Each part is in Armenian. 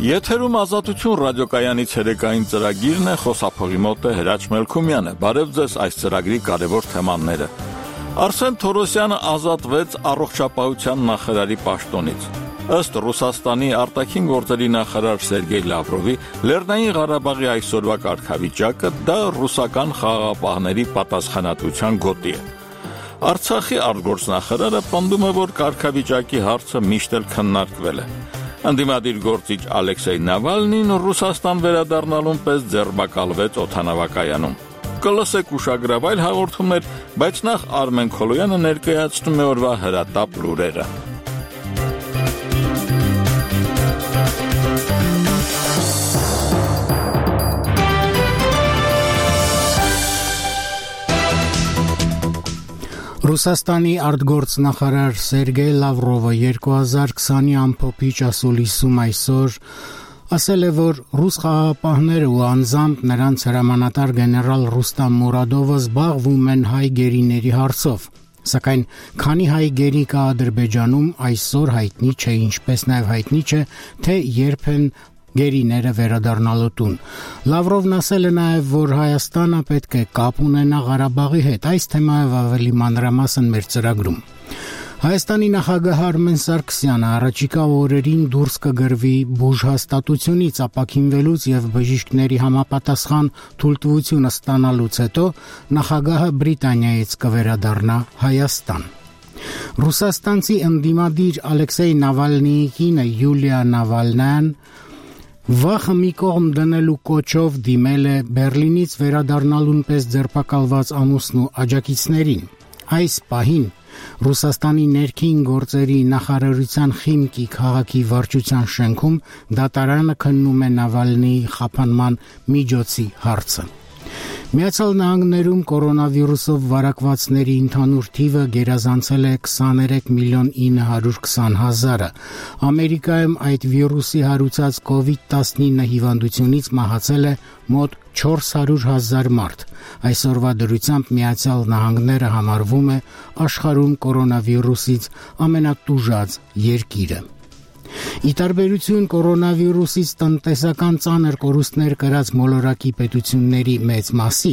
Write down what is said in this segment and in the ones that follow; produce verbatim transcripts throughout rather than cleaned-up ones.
Եթերում Ազատություն ռադիոկայանի ցերեկային ծրագիրն է, խոսափողի մոտ է Հրաչ Մելքումյանը։ Բարև ձեզ այս ծրագրի կարևոր թեմաները։ Արսեն Թորոսյանը ազատվեց առողջապահության նախարարի պաշտոնից։ Ըստ Ռուսաստանի արտաքին գործերի նախարար Սերգեյ Լավրովի, Լեռնային Ղարաբաղի այսօրվա կարգավիճակը դա ռուսական խաղաղապահների պատասխանատվության գոտի է։ Արցախի արտգործնախարարը պնդում է, որ կարգավիճակի հարցը միշտ էլ քննարկվել է։ Ընդդիմադիր գործիչ Ալեքսեյ Նավալնին Ռուսաստան վերադառնալուն պես ձերբակալվեց օդանավակայանում։ Կլսեք ուշագրավայր հաղորդումներ, բայց նախ Արմեն Քոլոյանը ներկայացնում է օրվա հրատապ լուրերը։ Ռուսաստանի արտգործնախարար Սերգեյ Լավրովը երկու հազար քսանի ամփոփիչ ասուլիսում այսօր ասել է, որ ռուս խաղաղապահները ու անձամբ նրանց հրամանատար գեներալ Ռուստամ Մուրադովը զբաղվում են հայ գերիների հարցով, սակայն քանի հայ գերի կա Ադրբեջանում այսօր հայտնի չէ, ինչպես նաև հայտնի չէ, թե երբ են գերիները վերադառնալու տուն։ Լավրովն ասել է նաև, որ Հայաստանը պետք է կապ ունենա Ղարաբաղի հետ, այս թեմայով ավելի մանրամասն մեր ծրագրում։ Հայաստանի նախագահ Արմեն Սարգսյանը առաջիկա օրերին դուրս կգրվի բուժհաստատությունից ապաքինվելուց եւ բժիշկների համապատասխան թույլտվություն ստանալուց հետո նախագահը Բրիտանիայից կվերադառնա Հայաստան։ Ռուսաստանցի ընդդիմադիր Ալեքսեյ Նավալնիի կինը Յուլիա Նավալնյան վախը մի կողմ դնելու կոչով դիմել է Բերլինից վերադառնալուն պես ձերբակալված ամուսնու աջակիցներին։ Այս պահին Ռուսաստանի ներքին գործերի նախարարության Խիմկի քաղաքի վարչության շենքում դատարանը քննում է Նավալնիի խափանման միջոցի հարցը։ Միացյալ Նահանգներում կորոնավիրուսով վարակվածների ընդհանուր թիվը գերազանցել է քսաներեք միլիոն ինը հարյուր քսան հազարը։ Ամերիկայում այդ վիրուսի հարուցած կովիդ տասնինը հիվանդությունից մահացել է մոտ չորս հարյուր հազար մարդ։ Այսօրվա դրությամբ Միացյալ Նահանգները համարվում է աշխարհում կորոնավիրուսից ամենատուժած երկիրը։ Ի տարբերություն կորոնավիրուսից տնտեսական ծանր կորուստներ կրած մոլորակի պետությունների մեծ մասի,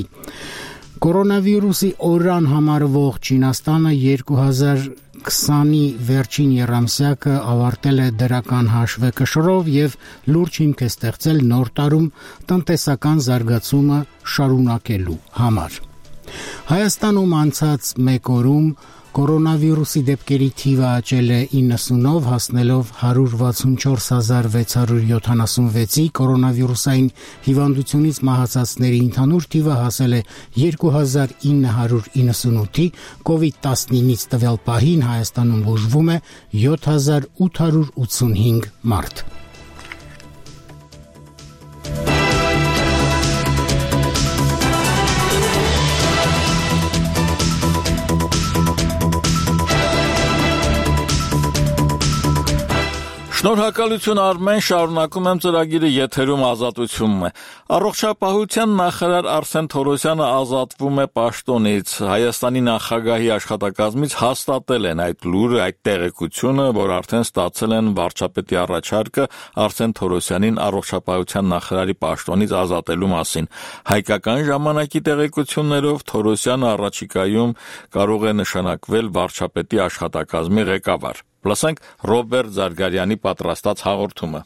կորոնավիրուսի օրրան համարվող Չինաստանը երկու հազար քսանի վերջին եռամսյակը ավարտել է դրական հաշվեկշռով եւ լուրջ հիմք է ստեղծել նոր տարում տնտեսական զարգացումը շարունակելու համար։ Հայաստանում անցած մեկ օրում կորոնավիրուսի դեպքերի թիվը աճել է իննսունով, հասնելով հարյուր վաթսունչորս հազար վեց հարյուր յոթանասունվեցի, կորոնավիրուսային հիվանդությունից մահացածների ընդհանուր թիվը հասել է երկու հազար ինը հարյուր իննսունութի, կովիդ տասնինից տվյալ պահին Հայաստանում բուժվում է յոթ հազար ութ հարյուր ութսունհինգ մարդ։ Շնորհակալություն Արմեն, շարունակում եմ ծրագիրը, եթերում Ազատությունն է։ Առողջապահության նախարար Արսեն Թորոսյանը ազատվում է պաշտոնից։ Հայաստանի նախագահի աշխատակազմից հաստատել են այդ լուրը, այդ տեղեկությունը, որ արդեն ստացել են վարչապետի առաջարկը Արսեն Թորոսյանին առողջապահության նախարարի պաշտոնից ազատելու մասին։ Հայկական ժամանակի տեղեկություններով Թորոսյանը առաջիկայում կարող է նշանակվել վարչապետի աշխատակազմի ղեկավար։ Լսենք Ռոբերտ Զարգարյանի պատրաստած հաղորդումը։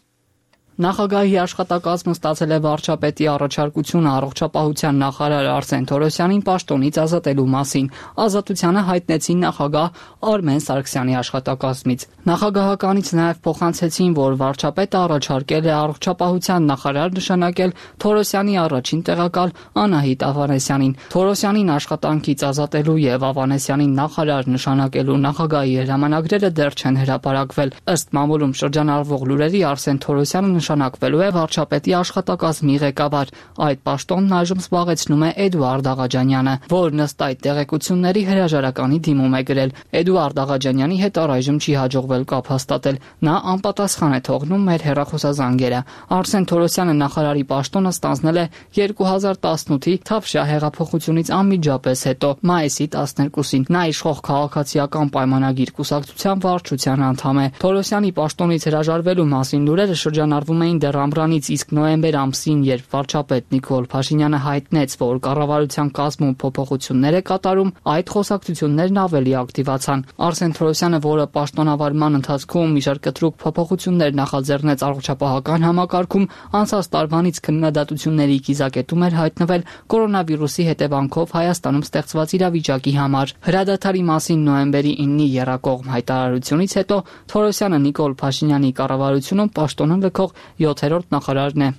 Նախագահի աշխատակազմը ստացել է վարչապետի առաջարկությունը առողջապահության նախարար Արսեն Թորոսյանին պաշտոնից ազատելու մասին։ Ազատությանը հայտնեցին նախագահ Արմեն Սարգսյանի աշխատակազմից։ Նախագահականից նաև փոխանցեցին, որ վարչապետը առաջարկել է առողջապահության նախարար նշանակել Թորոսյանի առաջին տեղակալ Անահիտ Ավանեսյանին։ Թորոսյանին աշխատանքից ազատելու եւ Ավանեսյանին նախարար նշանակելու նախագահի հրամանագրերը դեռ չեն հրապարակվել։ Ըստ մամուլում շրջանառվող լուրերի Արսեն Թորոսյանը նշանակվելու է վարչապետի աշխատակազմի ղեկավար։ Այդ պաշտոնն այժմ զբաղեցնում է Էդուարդ Աղաջանյանը, որն ըստ այդ տեղեկությունների հրաժարականի դիմում է գրել։ Էդուարդ Աղաջանյանի հետ առայժմ չի հաջողվել կապ հաստատել։ Նա անպատասխան է թողնում մեր հեռախոսազանգերը։ Արսեն Թորոսյանը նախարարի պաշտոնը ստանձնել է երկու հազար տասնութի Թավշյա հեղափոխությունից անմիջապես հետո, մայիսի տասներկուսին։ Նա իշխող քաղաքացիական պայմանագիր կուսակցության վարչության անդամ է։ Թորոսյանի պաշտոնից հրաժարվելու մասին լուրերը շրջանառվում զբաղվում էին դեռ ամռանից, իսկ նոյեմբեր ամսին, երբ վարչապետ Նիկոլ Փաշինյանը հայտնեց, որ կառավարության կազմում փոփոխություններ է կատարում, այդ խոսակցություններն ավելի ակտիվացան։ Արսեն Թորոսյանը, որը պաշտոնավարման ընթացքում մի շարք կտրուկ փոփոխություններ նախաձեռնեց առողջապահական համակարգում, անցած տարվանից քննադատությունների կիզակետում էր հայտնվել կորոնավիրուսի հետևանքով Հայաստանում ստեղծված իրավիճակի համար։ Հրադադարի մասին նոյեմբերի իննի եռակողմ հայտարարությունից հետո Թորոսյանը Նիկոլ Փաշինյանի կառավարությունում պաշտոնը լքող յոթերորդ նախարարն է։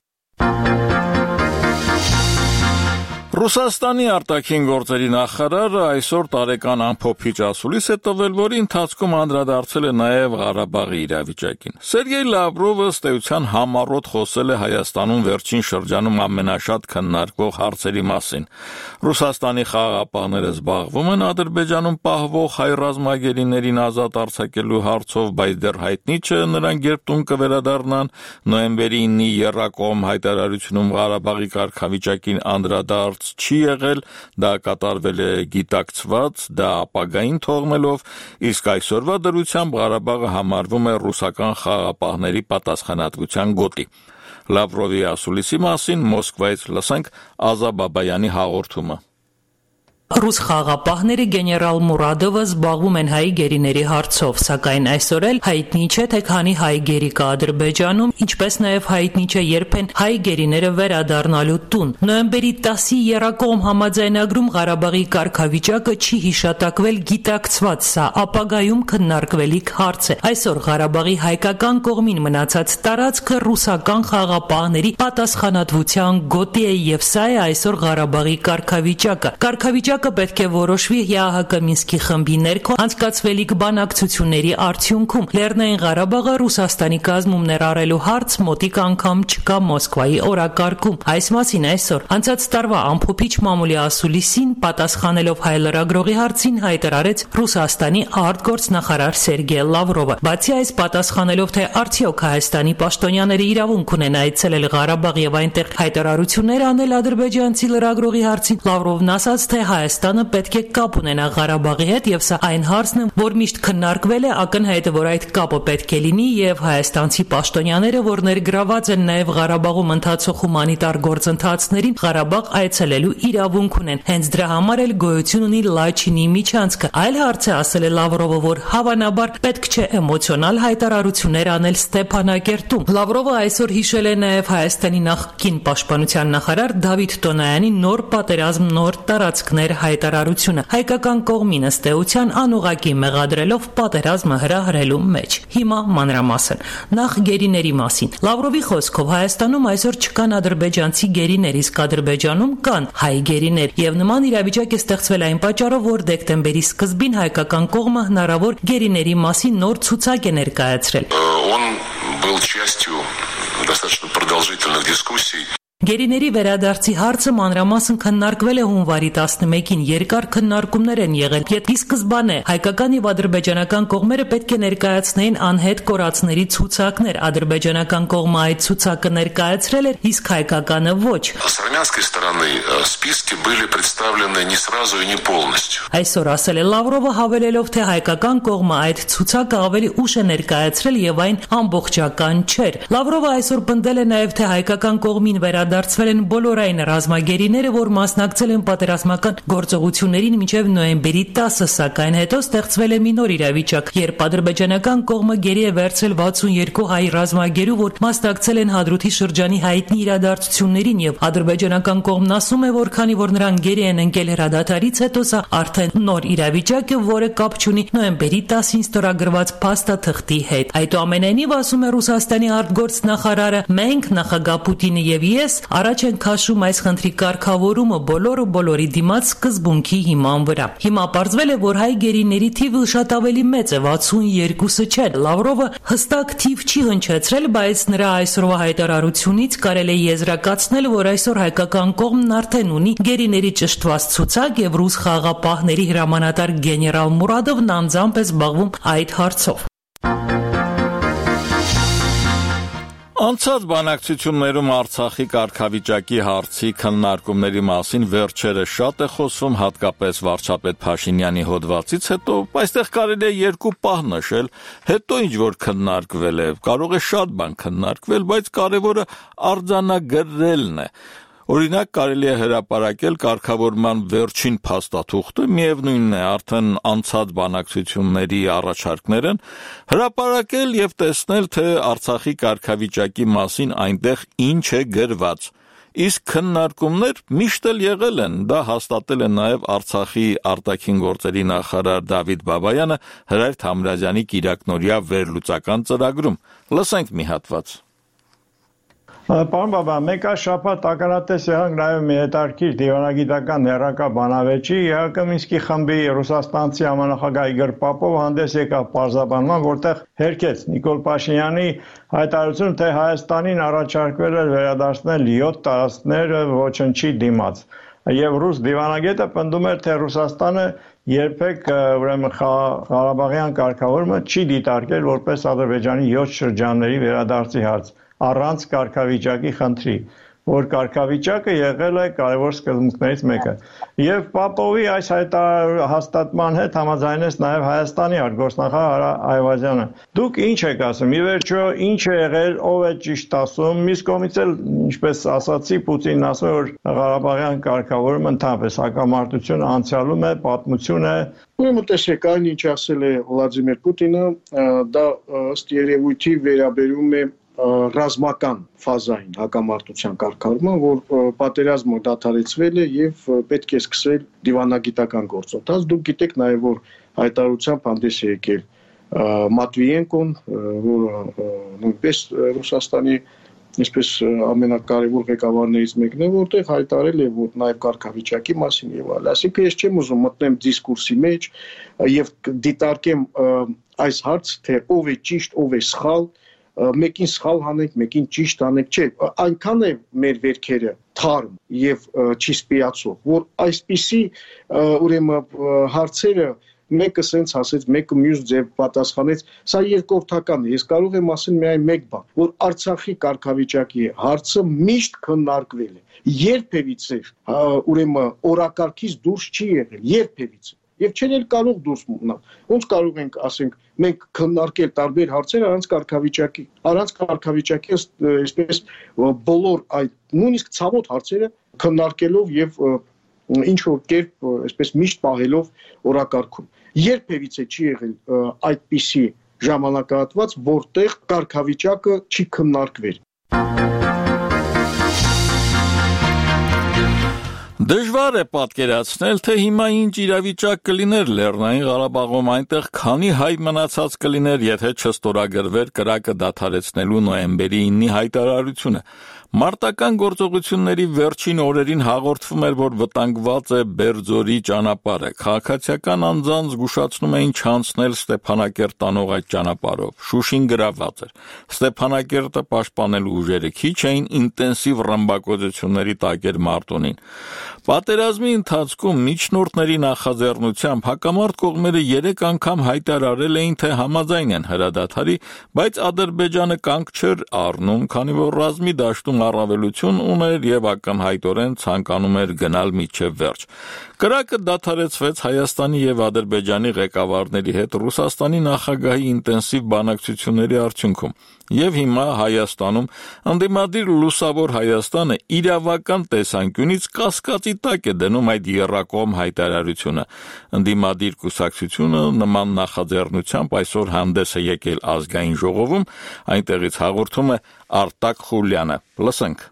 Ռուսաստանի արտաքին գործերի նախարարը այսօր տարեկան ամփոփիչ ասուլիս է տվել, որի ընթացքում անդրադարձել է նաև Ղարաբաղի իրավիճակին։ Սերգեյ Լավրովը ըստ էության համառոտ խոսել է Հայաստանում վերջին շրջանում ամենաշատ քննարկվող հարցերի մասին։ Ռուսաստանի խաղաղապահները զբաղվում են Ադրբեջանում պահվող հայ ռազմագերիներին ազատ արձակելու հարցով, բայց դեռ հայտնի չէ նրանք երբ տուն կվերադառնան։ Նոյեմբերի իննի եռակողմ հայտարարությունում Ղարաբաղի կարգավիճակին անդրադարձ չի եղել, դա կատարվել է գիտակցված, դա ապագային թողնելով, իսկ այսօրվա դրությամբ Ղարաբաղը համարվում է ռուսական խաղաղապահների պատասխանատվության գոտի։ Լավրովի ասուլիսի մասին Մոսկվայից լսենք Ազա Բաբայանի հաղորդումը։ Ռուս խաղաղապահները գեներալ Մուրադովը զբաղվում են հայ գերիների հարցով, սակայն այսօր էլ հայտնի չէ, թե քանի հայ գերի կա Ադրբեջանում, ինչպես նաև հայտնի չէ երբ են հայ գերիները վերադառնալու տուն։ Նոյեմբերի տասի եռակողմ համաձայնագրում Ղարաբաղի կարգավիճակը չի հիշատակվել գիտակցված, սա ապագայում քննարկվելիք հարց է։ Այսօր Ղարաբաղի հայկական կողմին մնացած տարածքը ռուսական խաղաղապահների պատասխանատվության գոտի է եւ սա է այսօր Ղարաբաղի կարգավիճակը։ Կարգավիճակը պետք է որոշվի ՀԱՀԿ Մինսկի խմբի ներքո անցկացվելիք բանակցությունների արդյունքում։ Լեռնային Ղարաբաղը Ռուսաստանի կազմում ներառելու հարց մոտիկ անգամ չկա Մոսկվայի օրակարգում։ Այս մասին այսօր անցած տարվա ամփոփիչ մամուլի ասուլիսին պատասխանելով հայ լրագրողի հարցին հայտարարեց Ռուսաստանի արտգործնախարար Սերգեյ Լավրովը։ Բացի այս պատասխանելով, թե արդյոք Հայաստանի պաշտոնյաները իրավունք ունեն այցելել Ղարաբաղ եւ այնտեղ հայտարարություններ անել ադրբեջանցի լրագրողի հարցին, Լավրովն ասաց, թե Հայաստանը պետք է կապ ունենա Ղարաբաղի հետ եւ սա այն հարցն է, որ միշտ քննարկվել է, ակնհայտ է, որ այդ կապը պետք է լինի եւ հայաստանցի պաշտոնյաները, որ ներգրաված են նաեւ Ղարաբաղում ընթացող հումանիտար գործընթացներին, Ղարաբաղ այցելելու իրավունք ունեն։ Հենց դրա համար էլ գոյություն ունի Լաչինի միջանցքը։ Այլ հարց է, ասել է Լավրովը, որ հավանաբար պետք չէ էմոցիոնալ հայտարարություններ անել Ստեփանակերտում։ Լավրովը այսօր հիշել է նաեւ Հայաստանի նախկին պաշտպանության նախարար Դավիթ Տոնոյանի նոր պատերազմ, նոր տարածքներ հայտարարությունը հայկական կողմին ըստ էության անուղղակի մեղադրելով պատերազմը հրահրելու մեջ։ Հիմա մանրամասն նախ գերիների մասին։ Լավրովի խոսքով Հայաստանում այսօր չկան ադրբեջանցի գերիներ, իսկ Ադրբեջանում կան հայ գերիներ եւ նման իրավիճակ է ստեղծվել այն պատճառով, որ դեկտեմբերի սկզբին հայկական կողմը հնարավոր գերիների մասին նոր ցուցակ է ներկայացրել։ Он был частью достаточно продолжительных дискуссий. Գերիների վերադարձի հարցը մանրամասն քննարկվել է հունվարի տասնմեկին, երկար քննարկումներ են եղել։ Ի սկզբանե հայկական եւ ադրբեջանական կողմերը պետք է ներկայացնեին անհետ կորածների ցուցակներ։ Ադրբեջանական կողմը այդ ցուցակը ներկայացրել էր, իսկ հայկականը ոչ։ С армянской стороны списки были представлены не сразу и не полностью. Այսօր ասել է Լավրովը, հավելելով, թե հայկական կողմը այդ ցուցակը ավելի ուշ է ներկայացրել եւ այն ամբողջական չէր։ Լավրովը այսօր պնդել է նաեւ, թե հայկական կողմին վերադարձվել են բոլորային ռազմագերիները, որ մասնակցել են պատերազմական գործողություններին մինչև նոյեմբերի տասը, սակայն հետո ստեղծվել է մի նոր իրավիճակ, երբ ադրբեջանական կողմը գերի է վերցրել վաթսունյոթ հայ ռազմագերու, որ մասնակցել են Հադրութի շրջանի հայտնի իրադարձություններին, եւ ադրբեջանական կողմն ասում է, որ քանի որ նրանք գերի են ընկել հրադադարից հետո, սա արդեն նոր իրավիճակ է, որը կապ չունի նոյեմբերի տասին ստորագրված փաստաթղթի հետ։ Այդուամենայնիվ, ասում է Ռուսաստանի արտգործնախարարը, մենք նախագահ Պուտինը եւ ես առաջ են քաշում այս խնդրի կարգավորումը բոլորը բոլորի դիմաց սկզբունքի հիման վրա։ Հիմա պարզվել է, որ հայ գերիների թիվը շատ ավելի մեծ է, վաթսունյոթը չէ։ Լավրովը հստակ թիվ չի հնչեցրել, բայց նրա այսօրվա հայտարարությունից կարելի է եզրակացնել, որ այսօր հայկական կողմն արդեն ունի գերիների ճշտված ցուցակ եւ ռուս խաղաղապահների հրամանատար գեներալ Մուրադովն անձամբ է զբաղվում այդ հարցով։ Անցած բանակցություններում Արցախի կարգավիճակի հարցի քննարկումների մասին վերջերս շատ է խոսվում, հատկապես վարչապետ Փաշինյանի հոդվածից հետո, այստեղ կարելի է երկու պահ նշել, հետո ինչ որ քննարկվել է, կարող է շատ բան քննարկվել, բայց կարևորը արձանագրելն է։ Օրինակ կարելի է հրապարակել կարգավորման վերջին փաստաթուղթը, միևնույնն է, արդեն անցած բանակցությունների առաջարկներ են, հրապարակել եւ տեսնել, թե Արցախի կարգավիճակի մասին այնտեղ ինչ է գրված։ Իսկ քննարկումներ միշտ էլ եղել են, դա հաստատել է նաեւ Արցախի արտաքին գործերի նախարար Դավիթ Բաբայանը Հրայր Թամրազյանի կիրակնօրյա վերլուծական ծրագրում։ Լսենք մի հատված։ Պարոն Բաբա, մեկ այլ շաբաթ ականատես եղանք նաև մի հետաքրքիր դիվանագիտական հեռակա բանավեճի, ԵԱՀԿ Մինսկի խմբի ռուսաստանցի համանախագահ Իգոր Պապովը հանդես եկավ պարզաբանման, որտեղ հերքեց Նիկոլ Փաշինյանի հայտարարությունը, թե Հայաստանին առաջարկվել է վերադարձնել յոթ տարածքներ ոչնչի դիմաց։ Եվ ռուս դիվանագետը պնդում էր, թե Ռուսաստանը երբեք ուրեմն Ղարաբաղյան կարգավորումը չի դիտարկել որպես Ադրբեջանի յոթ շրջանների վերադարձի հարց, առանց կարգավիճակի խնդրի, որ կարգավիճակը եղել է կարևոր սկզբունքներից մեկը։ Եվ Պապովի այս հաստատման հետ համաձայնեց նաև Հայաստանի արտգործնախարար Այվազյանը։ Դուք ինչ եք ասում, ի վերջո ինչ է եղել, ով է ճիշտ ասում, մյուս կողմից էլ, ինչպես ասացի, Պուտինն ասում է, որ Ղարաբաղյան կարգավորումը ընդհանրապես հակամարտությունը անցյալում է, պատմություն է։ Ուրեմն տեսեք, այն ինչ ասել է Վլադիմիր Պուտինը, դա ըստ երևույթի վերաբերում է ռազմական ֆազային հակամարտության կարգավորման, որ պատերազմը դադարեցվել է եւ պետք է սկսել դիվանագիտական գործընթաց։ Դուք գիտեք նաեւ, որ հայտարարությամբ հանդես է եկել Մատվիենկոն, որը նույնպես Ռուսաստանի այսպես ամենակարևոր ղեկավարներից մեկն է, որտեղ հայտարարել է, որ նաեւ կարգավիճակի մասին եւ այլ։ Այսինքն ես չեմ ուզում մտնեմ դիսկուրսի մեջ եւ դիտարկեմ այս հարցը, թե ով է ճիշտ, ով է սխալ, մեկին սխալ հանենք, մեկին ճիշտ հանենք, չէ, այնքան է մեր վերքերը թարմ եւ չի սպիացող, որ այսպիսի ուրեմն հարցերը մեկը սենց ասեց, մեկը մյուս ձև պատասխանեց, սա երկրորդական է։ Ես կարող եմ ասել միայն մեկ բան, որ Արցախի կարգավիճակի հարցը միշտ քննարկվել է։ Երբևիցե ուրեմն օրակարգից դուրս չի եղել, երբևիցե։ Եվ չեն էլ կարող դուրս մնալ։ Ոնց կարող ենք, ասենք, մենք քննարկել տարբեր հարցեր առանց կարգավիճակի, առանց կարգավիճակի, այսպես բոլոր այդ նույնիսկ ցավոտ հարցերը քննարկելով եւ ինչ որ կերպ, այսպես միշտ պահելով օրակարգում։ Երբևիցե չի եղել այդպիսի ժամանակահատված, որտեղ կարգավիճակը չի քննարկվել։ Դժվար է պատկերացնել, թե հիմա ինչ իրավիճակ կլիներ Լեռնային Ղարաբաղում, այնտեղ քանի հայ մնացած կլիներ, եթե չստորագրվեր կրակը դադարեցնելու նոյեմբերի իննի հայտարարությունը։ Մարտական գործողությունների վերջին օրերին հաղորդվում էր, որ վտանգված է Բերձորի ճանապարհը։ Քաղաքացիական անձանց զգուշացնում էին չանցնել Ստեփանակերտ տանող այդ ճանապարհով։ Շուշին գրավված էր։ Ստեփանակերտը պաշտպանելու ուժերը քիչ էին, ինտենսիվ ռմբակոծությունների տակ էր Մարտունին։ Պատերազմի ընթացքում միջնորդների նախաձեռնությամբ հակամարտ կողմերը երեք անգամ հայտարարել էին, թե համաձայն են հրադադարի, բայց Ադրբեջանը կանգ չէր առնում, քանի որ ռազմի դաշտում առավելություն ուներ եւ ակնհայտորեն ցանկանում էր գնալ մինչեւ վերջ։ Կրակը դադարեցվեց Հայաստանի եւ Ադրբեջանի ղեկավարների հետ Ռուսաստանի նախագահի ինտենսիվ բանակցությունների արդյունքում։ Եվ հիմա Հայաստանում ընդդիմադիր լուսավոր Հայաստանը իրավական տեսանկյունից կասկածի տակ է դնում այդ եռակողմ հայտարարությունը։ Ընդդիմադիր կուսակցությունը նման նախաձեռնությամբ այսօր հանդես է եկել ազգային ժողովում, այնտեղից հաղորդում է Արտակ Խուլյանը։ Լսենք։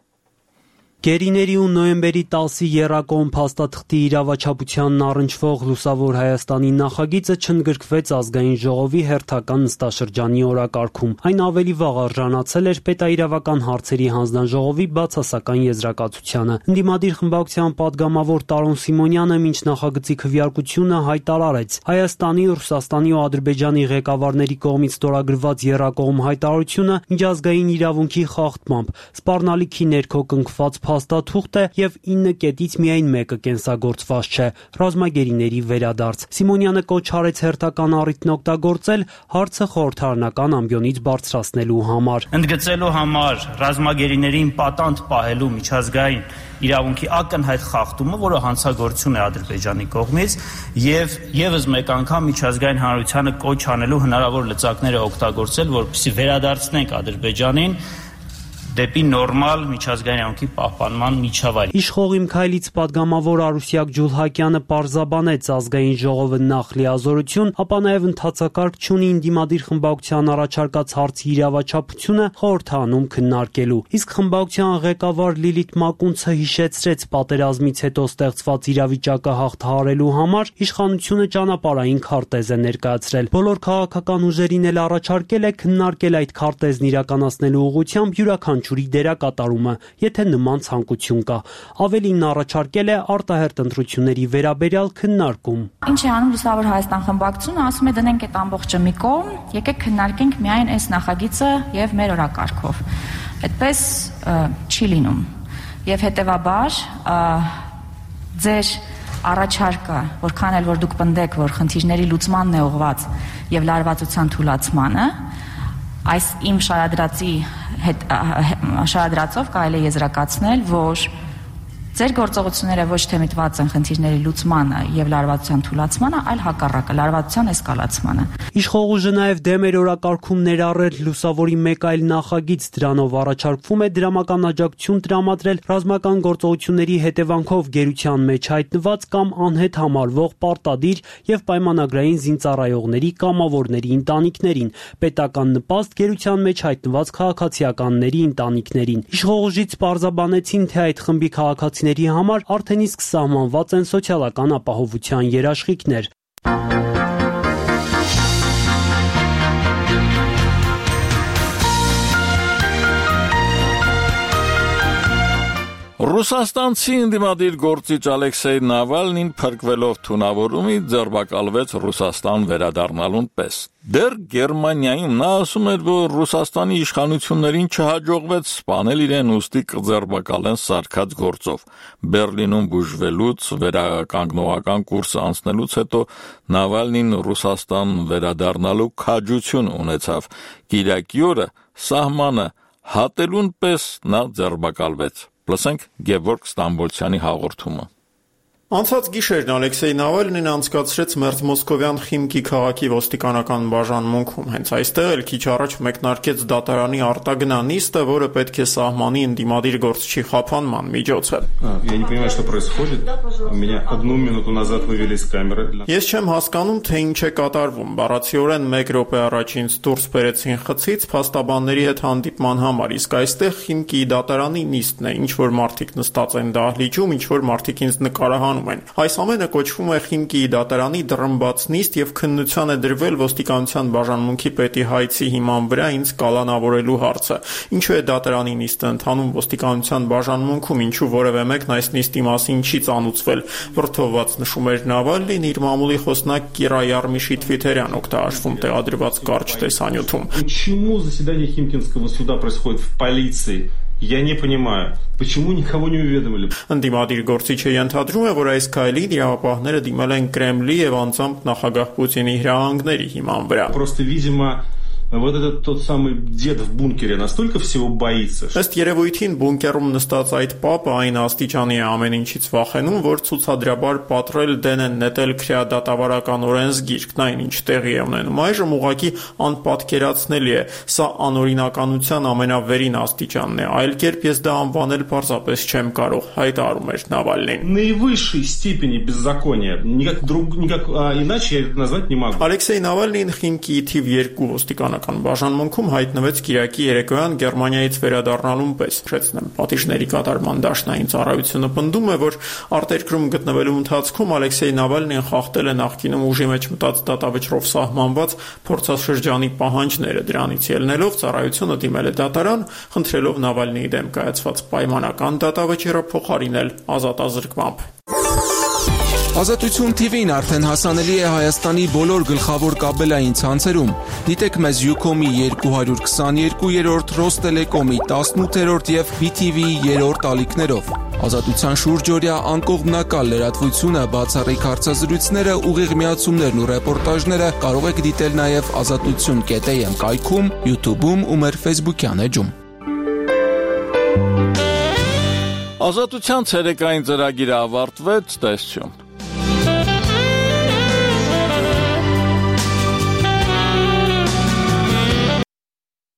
Գերիների ու նոյեմբերի տասի եռակողմ փաստաթղթի իրավաչափությանն առնչվող Լուսավոր Հայաստանի նախագիծը չընդգրկվեց ազգային ժողովի հերթական նստաշրջանի օրակարգում։ Այն ավելի վաղ արժանացել էր պետաիրավական հարցերի հանձնաժողովի բացասական եզրակացությանը։ Ընդդիմադիր խմբակցության падգամավոր Տարոն Սիմոնյանը մինչ նախագծի քվեարկությունը հայտարարեց. Հայաստանի, Ռուսաստանի ու Ադրբեջանի ղեկավարների կողմից ստորագրված եռակողմ հայտարարությունը միջազգային իրավունքի խախտմամբ, սպառնալիքի ներքո կնքված փաստաթուղթ է եւ ինը կետից միայն մեկը կենսագործված չէ՝ ռազմագերիների վերադարձ։ Սիմոնյանը կոչ արեց հերթական առիթն օգտագործել հարցը խորհրդարանական ամբիոնից բարձրացնելու համար։ Ընդգծելու համար ռազմագերիներին պատանդ պահելու միջազգային իրավունքի ակնհայտ խախտումը, որը հանցագործություն է Ադրբեջանի կողմից, եւ եւս մեկ անգամ միջազգային հանրությանը կոչ անելու հնարավոր լծակները օգտագործել, որպեսզի վերադարձնենք Ադրբեջանին դեպի նորմալ միջազգային իրավունքի պահպանման միջավայր։ Իշխողիմ քայլից падգամավոր Արուսյակ Ջուլհակյանը պարզաբանեց ազգային ժողովը նախ լիազորություն, ապա նաև ընդհանցակարգ չունի ինդիմադիր խմբակցության առաջարկած հարցի իրավաչափությունը խորհրդանում քննարկելու։ Իսկ խմբակցության ղեկավար Լիլիթ Մակունցը հիշեցրեց պատերազմից հետո ստեղծված իրավիճակը հաղթահարելու համար իշխանությունը ճանապարհային քարտեզ է ներկայացրել։ Բոլոր քաղաքական ուժերին էլ առաջարկել է քննարկել այդ քարտեզն իրականացնելու ուղղությամբ յուրաքանչյուր ջուրի դերակատարումը, եթե նման ցանկություն կա։ Ավելին առաջարկել է արտահերտ ընտրությունների վերաբերյալ քննարկում։ Ինչ է անում Լուսավոր Հայաստան խմբակցությունը, ասում է դնենք այդ ամբողջը մի կողմ, եկեք քննարկենք միայն այս նախագիծը եւ մեր օրակարգով։ Այդպես չի լինում։ Եվ հետեւաբար ձեր առաջարկը, որքան էլ որ դուք պնդեք, որ խնդիրների լուծմանն է ուղղված եւ լարվածության թույլաtsmանը, այս իմ շարադրածի հետ շարադրածով կարելի է եզրակացնել, որ ձեր գործողությունները ոչ թե միտված են խնդիրների լուծմանը եւ լարվածության թույլաtsmանը, այլ հակառակը՝ լարվածության էսկալացմանը։ Իշխող ուժը նաեւ դեմ էր օրակարգում ներառել Լուսավորի մեկ այլ նախագիծ, դրանով առաջարկվում է դրամական աջակցություն տրամադրել ռազմական գործողությունների հետևանքով գերության մեջ հայտնված կամ անհետ համարվող պարտադիր եւ պայմանագրային զինծառայողների կամավորների ընտանիքներին, պետական նպաստ գերության մեջ հայտնված քաղաքացիականների ընտանիքներին։ Իշխող ուժից պարզաբանեցին, թե այդ խմբի քաղաքացիների համար արդեն իսկ սահմանված են սոցիալական ապահովության երաշխիքներ։ Ռուսաստանցի ընդդիմադիր գործիչ Ալեքսեյ Նավալնին փրկվելով թունավորումի ձերբակալվեց Ռուսաստան վերադառնալուն պես։ Դեռ Գերմանիայում նա ասում էր, որ Ռուսաստանի իշխանություններին չհաջողվեց սպանել իրեն, ուստի կձերբակալեն սարքած գործով։ Բերլինում բուժվելուց, վերականգնողական կուրսը անցնելուց հետո Նավալնին Ռուսաստան վերադառնալու քաջություն ունեցավ։ Կիրակի օրը սահմանը հատելուն պես նա ձերբակալվեց։ Լսենք Գևորգ Ստամբոլցյանի հաղորդումը։ Անցած գիշերն Ալեքսեյ Նավալնին անցկացրեց Մերձ Մոսկովյան Խիմկի քաղաքի ոստիկանական բաժանմունքում։ Հենց այստեղ էլ քիչ առաջ մեկնարկեց դատարանի արտագնա նիստը, որը պետք է սահմանի ընդդիմադիր գործչի խափանման միջոց է։ Ես չեմ հասկանում, թե ինչ է կատարվում։ Բառացիորեն մեկ րոպե առաջ ինձ դուրս բերեցին խցից փաստաբանների հետ հանդիպման համար, իսկ այստեղ Խիմկի դատարանի նիստն է, ինչ որ մարդիկ նստած են դահլիճում, ինչ որ մարդիկ ինձ նկարահանում։ Այս ամենը կոչվում է Խիմկիի դատարանի դռնբաց նիստ եւ քննության է դրվել ոստիկանության բաժանմունքի պետի հայցի հիման վրա ինձ կալանավորելու հարցը։ Ինչու է դատարանի նիստը ընթանում ոստիկանության բաժանմունքում, ինչու որևէ մեկն այս նիստի մասին չի ծանուցվել։ Վրդովված նշում էր Նավալնին իր մամուլի խոսնակ Կիրա Յարմիշի Թվիթերյան օգտագործվում տեղադրված կարճ տեսանյութում։ Почему заседание Химкинского суда происходит в полиции? Я не понимаю, почему никого не уведомили. Ընդդիմադիր գործիչը ենթադրում է, որ այս քայլին իրավապահները դիմել են Կրեմլի եւ անձամբ նախագահ Պուտինի հրահանգների հիման վրա։ Просто, видимо, вот этот тот самый дед в бункере настолько всего боится. Ըստ երևույթին բունկերում նստած այդ պապը այն աստիճանի է ամեն ինչից վախենում, որ ցուցադրաբար պատրել դեն են նետել քրեադատավարական օրենսգիրքն, այն ինչ տեղի է ունենում այժմ ուղղակի անպատկերացնելի է։ Սա անօրինականության ամենավերին աստիճանն է, այլ կերպ ես դա անվանել պարզապես չեմ կարող, հայտարարում էր Նավալնին։ Наивысшей степени беззакония, никак друг никак иначе я это назвать не могу. Ալեքսեյ Նավալնին Խիմկիի թիվ երկու ոստիկանական բաժանմունքում հայտնվեց Կիրակի երեկոյան Գերմանիայից վերադառնալուն պես։ Շեծնեմ, պատիժների կատարման դաշնային ծառայությունը պնդում է, որ արտերկրում գտնվելու ընթացքում Ալեքսեյ Նավալնին խախտել է նախկինում ուժի մեջ մտած դատավճռով սահմանված փորձաշրջանի պահանջները։ Դրանից ելնելով ծառայությունը դիմել է դատարան, խնդրելով Նավալնիի դեմ կայացված պայմանական դատավճիռը փոխարինել ազատազրկմամբ։ Ազատություն թի վին արդեն հասանելի է Հայաստանի բոլոր գլխավոր կաբելային ցանցերում։ Դիտեք մեզ Ucom-ի երկու հարյուր քսաներկուերորդ, Ռոստելեկոմի տասնութերորդ եւ B T V-ի երրորդ ալիքներով։ Ազատության շուրջօրյա անկողմնակալ լրատվությունը, բացառիկ հարցազրույցները, ուղիղ միացումներն ու ռեպորտաժները կարող եք դիտել նաեւ ազատություն կետ a m կայքում, YouTube-ում ու մեր Facebook-յան էջում։ Ազատության ցերեկային ծրագիրը ավարտվեց, տեսություն։